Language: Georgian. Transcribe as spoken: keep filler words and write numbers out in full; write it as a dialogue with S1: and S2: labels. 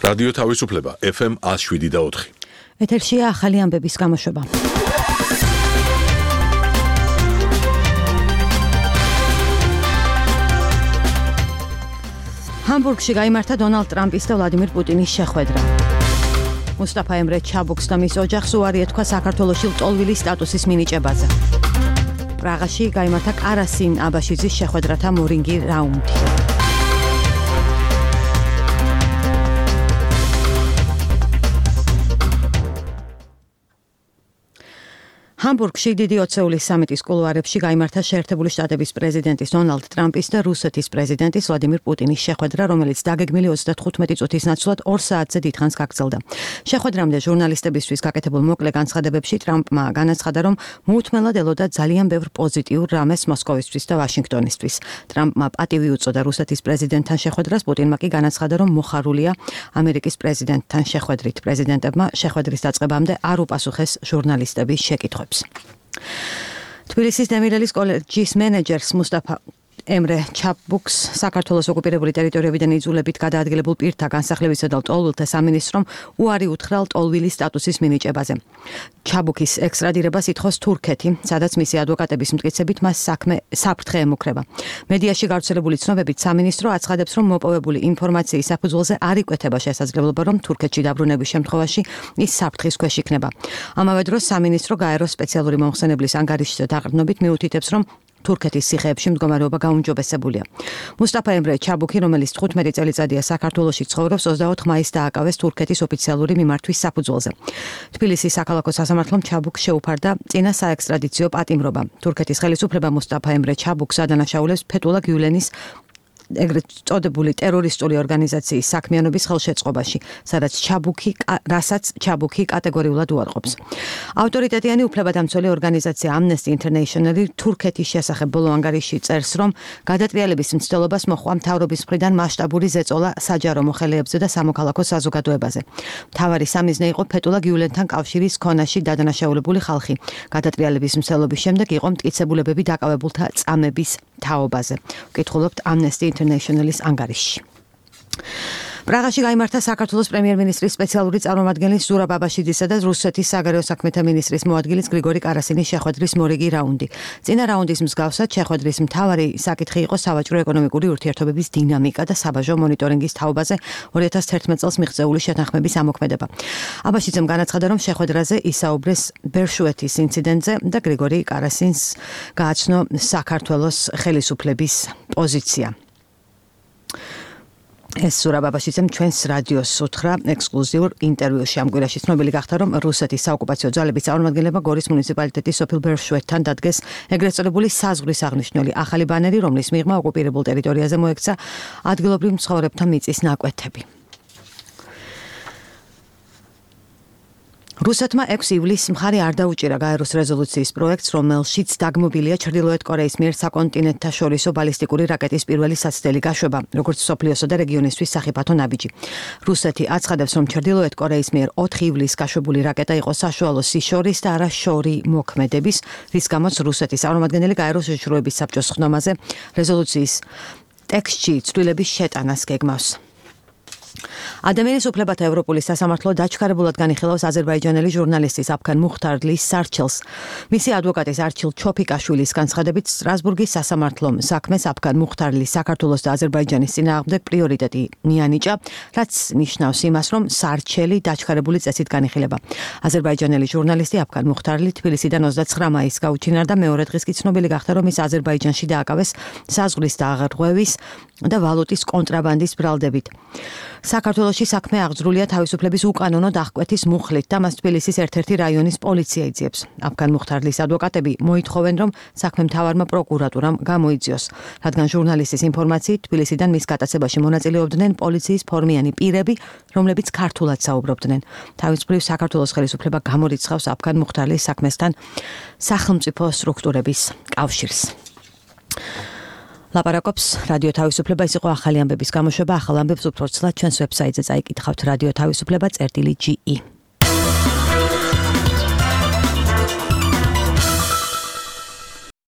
S1: რადიო თავისუფლება ეფ ემ one oh seven და four.
S2: ეთერშია ახალი ამბების გამოშვება. ჰამბურგში გაიმართა დონალდ ტრამპის და ვლადიმირ პუტინის შეხვედრა. მუსტაფა ემრე ჩაბუქს და მის ოჯახს უარი ეთქვა საქართველოში ლტოლვილის სტატუსის მინიჭებაზე. პრაღაში გაიმართა კარასინ აბაშიძის შეხვედრათა მორინგი რაუნდი. ჰამბურგში დიდი ოცეულის სამიტის კულუარებში გაიმართა შეერთებული შტატების პრეზიდენტის დონალდ ტრამპის და რუსეთის პრეზიდენტის ვლადიმირ პუტინის შეხვედრა, რომელიც დაგეგმილი ოცდათხუთმეტი წუთის ნაცვლად ორ საათზე დიდხანს გაგრძელდა. შეხვედრამდე ჟურნალისტებისთვის გაკეთებულ მოკლე განცხადებებში ტრამპმა განაცხადა, რომ მოუთმენლად ელოდა ძალიან ბევრ პოზიტიურ რამეს მოსკოვისთვის და ვაშინგტონისთვის. ტრამპმა პატივი უწოდა რუსეთის პრეზიდენტთან შეხვედრას, პუტინმა კი განაცხადა, რომ მოხარულია ამერიკის პრეზიდენტთან შეხვედრით. პრეზიდენტებმა შეხვედრის დაწყებამდე არ უპასუხეს ჟურნალისტების შეკითხვებს. თბილისის დემირელის კოლეჯის მენეჯერს მუსტაფა ემრე ჩაბუქს საქართველოს ოკუპირებული ტერიტორიებიდან იძულებით გადაადგილებულ პირთა განსახლებისა და ლტოლვილთა სამინისტრომ უარი უთხრა ლტოლვილის სტატუსის მინიჭებაზე. ჩაბუქის ექსტრადირებას ითხოვს თურქეთი, სადაც მისი ადვოკატების მტკიცებით მას საქმე საფრთხე ემუქრება. მედიაში გავრცელებული ცნობებით სამინისტრო აცხადებს, რომ მოპოვებული ინფორმაციის საფუძველზე არ იკვეთება შესაძლებლობა, რომ თურქეთში დაბრუნების შემთხვევაში ის საფრთხის ქვეშ იქნება. ამავე დროს სამინისტრო გაეროს სპეციალური მომხსენებლის ანგარიშზე დაყრდნობით მიუთითებს, რომ თურქეთის ციხეებში მდგომარეობა გაუმჯობესებულია. მუსტაფა ემრე ჩაბუქი, რომელიც თხუთმეტი წელიწადია საქართველოში ცხოვრობს, ოცდაოთხ მაისს დააკავეს თურქეთის ოფიციალური მიმართვის საფუძველზე. თბილისის საქალაქო სასამართლომ ჩაბუქს შეუფარდა წინა საექსტრადიციო პატიმრობა. თურქეთის ხელისუფლება მუსტაფა ემრე ჩაბუქს ადანაშაულებს ფეთულა გიულენის ეგრეთ წოდებული ტერორისტული ორგანიზაციის საქმიანობის ხელშეწყობაში, სადაც ჩაბუქი, რასაც ჩაბუქი კატეგორიულად უარყოფს. ავტორიტეტიანი უფლებადამცველი ორგანიზაცია Amnesty International თურქეთის შესახებ ბოლო ანგარიში წერს, რომ გადატრიალების მცდელობას მოჰყვა მთავრობის მხრიდან მასშტაბური ზეწოლა საჯარო მოხელეებზე და სამოქალაქო საზოგადოებაზე. მთავარი სამიზნე იყო ფეთულა გიულენთან კავშირის ქონაში დადანაშაულებული ხალხი. გადატრიალების მცდელობის შემდეგ იყო მტკიცებულებები დაკავებულთა წამების თაობაზე. ვკითხულობთ Amnesty International-ის ანგარიში. პრაღაში გაიმართა საქართველოს პრემიერ-მინისტრის სპეციალური წარმომადგენლის ზურაბ აბაშიძისა და რუსეთის საგარეო საქმეთა მინისტრის მოადგილის გრიგორი კარასინის შეხვედრის მორიგი რაუნდი. წინა რაუნდის მსგავსად შეხვედრის მთავარი საკითხი იყო სავაჭრო-ეკონომიკური ურთიერთობების დინამიკა და საბაჟო მონიტორინგის თაობაზე ორი ათას თერთმეტ წელს მიღწეული შეთანხმების ამოქმედება. აბაშიძემ განაცხადა, რომ შეხვედრაზე ისაუბრეს ბერშუეთის ინციდენტზე და გრიგორი კარასინს გააცნო საქართველოს ხელისუფლების პოზიცია. ეს ზურაბ აბაშიძემ ჩვენს რადიოს უთხრა ექსკლუზიურ ინტერვიუში. ამ კვირაში ცნობილი გახდა, რომ რუსეთის საოკუპაციო ძალების წარმომადგენლებმა გორის მუნიციპალიტეტის სოფელ ბერშუეთთან დადგეს ეგრეთ წოდებული საზღვრის აღნიშნული ახალი ბანერი, რომლის მიღმა ოკუპირებულ ტერიტორიაზე მოექცა ადგილობრივ მცხოვრებთა მიწის ნაკვეთები. რუსეთმა ექვსი ივლისს მხარი არ დაუჭირა გაეროს რეზოლუციის პროექტს, რომელშიც დაგმობილია ჩრდილოეთ კორეის მიერ საკონტინენტთაშორისო ბალისტიკური რაკეტის პირველი საცდელი გაშვება, როგორც მსოფლიოსა და რეგიონისთვის სახიფათო ნაბიჯი. რუსეთი აცხადებს, რომ ჩრდილოეთ კორეის მიერ ოთხი ივლისს გაშვებული რაკეტა იყო საშუალო სიშორის და არა შორი მოქმედების, რის გამოც რუსეთის წარმომადგენელი გაეროს შეშურების საბჭოს ხდომაზე რეზოლუციის ტექსტში ცვლილების შეტანას გეგმავს. ადამიანის უფლებათა ევროპული სასამართლო დაჩქარებულად განიხილავს აზერბაიჯანელი ჟურნალისტის აფქან მუხთარლის სარჩელს. მისი ადვოკატის არჩილ ჩოფიკაშვილის განცხადებით, სტრასბურგის სასამართლომ საქმეს აფქან მუხთარლის საქართველოს და აზერბაიჯანის წინააღმდეგ პრიორიტეტი მიანიჭა, რაც ნიშნავს იმას, რომ სარჩელი დაჩქარებული წესით განიხილება. აზერბაიჯანელი ჟურნალისტი აფქან მუხთარლი თბილისიდან ოცდაცხრა მაისს გაუჩინარდა, მეორე დღეს კი ცნობილი გახდა, რომ ის აზერბაიჯანში დააკავეს საზღვრის დაღრღვევის და ვალუტის კონტრაბანდის ბრალდებით. საქართველოში საქმე აღძრულია თავისუფლების უკანონო დახკვეთის მუხლით და მას თბილისის ერთ-ერთი რაიონის პოლიცია იძიებს. აფქან მუხთარლის ადვოკატები მოითხოვენ, რომ საქმე მთავარმა პროკურატურამ გამოიძიოს, რადგან ჟურნალისტის ინფორმაციით თბილისიდან მის გატაცებაში მონაწილეობდნენ პოლიციის ფორმიანი პირები, რომლებიც ქართულად საუბრობდნენ. თავისუფლების საქართველოს ხელისუფლება გამორიცხავს აფქან მუხთარლის საქმესთან სახელმწიფო სტრუქტურების კავშირს. ლაპარაკობს რადიო თავისუფლება. ის იყო ახალი ამბების გამოშვება. ახალ ამბებს უფრო ცლად ჩვენს ვებსაიტზე წაიკითხავთ რადიო თავისუფლება წერტილი ჯი ი.